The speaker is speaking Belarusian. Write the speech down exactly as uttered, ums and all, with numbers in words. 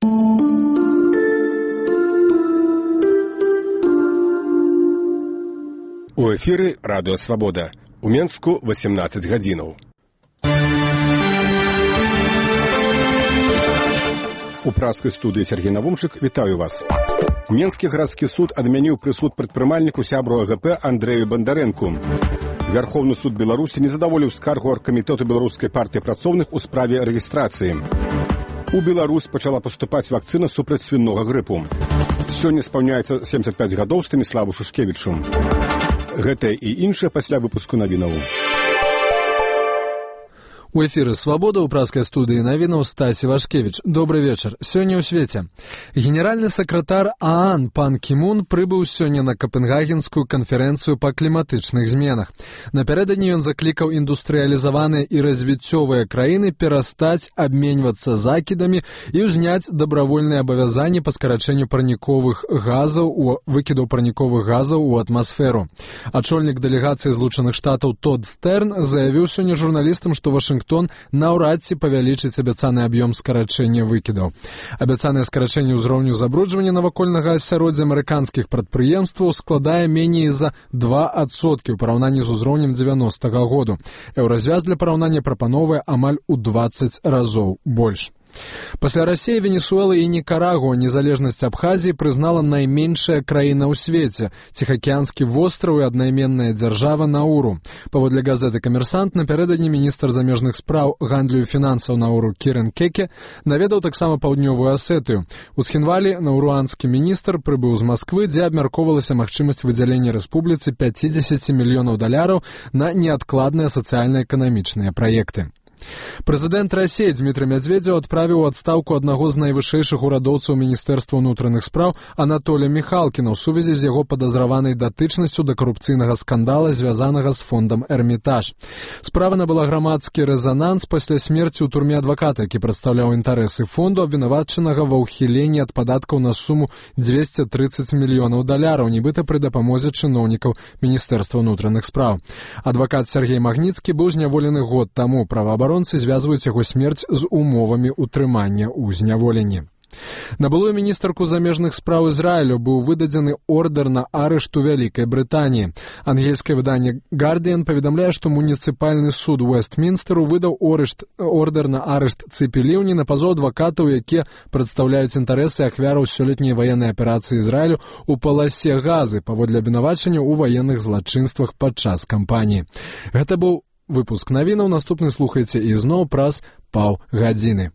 У эфіры радыё «Свабода». У Менску васемнаццаць гадзінаў. У праскай студыі Сергей Навумчык вітаю вас. Менскі гарадскі суд адмяніў прысуд прадпрымальніку сябру АГП Андрэю Бандарэнку. Вярхоўны суд Беларусі не задаволіў скаргу аргкамітэту беларускай партыі працоўных у справе рэгістрацыі. У Беларусь пачала паступаць вакцына супраць свінога грыпу. Сёння спаўняецца сямдзесят пяць гадоў Станіславу Шушкевічу. Гэтае і іншае пасля выпуску навінаў. У эфіры «Свабода» ў праскай студыі навінаў Стасі Вашкевіч. Добры вечар. Сёння ў свеце. Генеральны сакратар ААН Пан Кі Мун прыбыў сёння на Капенгагенскую канферэнцыю па кліматычных зменах. Напярэдадні ён заклікаў індустрыялізаваныя і развіццёвыя краіны перастаць абменьвацца закідамі і ўзняць дабравольныя абавязанні па скарачэнню парніковых газаў у выкідаў парніковых газаў у атмасферу. Ачольнік дэлегацыі Злучаных Штатаў Тод Стэрн заявіў сёння журналістам, што Вашынгтон Вашингтон наўрад ці павялічыць абяцаны аб'ём скарачэння выкідаў. Абяцанае скарачэнне ўзроўню забруджвання навакольнага асяроддзя амерыканскіх прадпрыемстваў складае меней за два адсоткі ў параўнанні з узроўнем дзевяностага году. Еўразвяз для параўнання прапановвае амаль у дваццаць разоў больш. Пасля Расіі, Венесуэлы і Нікарагуа незалежнасць Абхазіі прызнала найменшая краіна ў свеце – Ціхаакіянскі востраў і аднайменная дзяржава Науру. Паводле газеты «Камерсант» напярэдадні міністр замежных спраў, гандлю і фінансаў Науру Кірен Кеке наведаў таксама паўднёвую Асетыю. У Схінвалі науруанскі міністр прыбыў з Масквы, дзе абмяркоўвалася магчымасць выдзялення рэспубліцы пяцьдзесят мільёнаў даляраў на неадкладныя сацыяльна-эканамічныя праекты. Прэзідэнт Расіі Дзмітрый Мядзведзеў адправіў у адстаўку аднаго з найвышэйшых урадоўцаў Міністэрства ўнутраных спраў Анатолія Міхалкіна ў сувязі з яго падазраванай датычнасцю да карупцыйнага скандала, звязанага з фондам «Эрмітаж». Справа набыла грамадскі рэзананс пасля смерці ў турме адваката, які прадстаўляў інтарэсы фонду, абвінавачанага ва ўхіленні ад падаткаў на суму дзвесце трыццаць мільёнаў даляраў, нібыта пры дапамозе чыноўнікаў Міністэрства ўнутраных спраў. Адвакат Сергей Магніцкі быў зняволены год таму. Праваабаронцы звязваюць яго смерць з умовамі ўтрымання ў зняволенні. На былую міністарку замежных спраў Ізраілю быў выдадзены ордэр на арышт у Вялікай Брытаніі. Ангельскае выданне «Гардыян» паведамляе, што муніцыпальны суд Уэстмінстэру выдаў орышт, ордэр на арышт Цыпі Ліўні на пазоў адвакатаў, якія прадстаўляюць інтарэсы ахвяраў сёлетняй ваеннай аперацыі Ізраілю ў паласе Газы паводле абвінавачання ў ваенных злачынствах падчас кампаніі. Гэта быў выпуск навінаў. Наступны слухайце ізноў праз паўгадзіны.